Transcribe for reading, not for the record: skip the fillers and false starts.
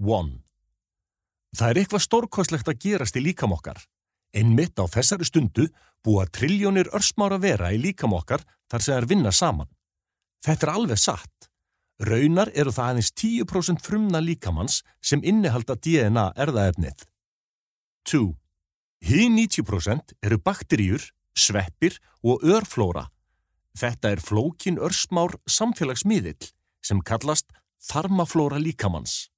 1. Það eitthvað stórkostlegt að gerast í líkama okkar. Einmitt á þessari stundu búa trilljónir örsmára vera í líkama okkar þar sem þær vinna saman. Þetta alveg satt. Raunar eru það aðeins 10% frumna líkamans sem innihalda DNA erfðaefnið. 2. Hin 90% eru bakteríur, sveppir og örflóra. Þetta flókin örsmár samfélagsmiðill sem kallast þarmaflóra líkamans.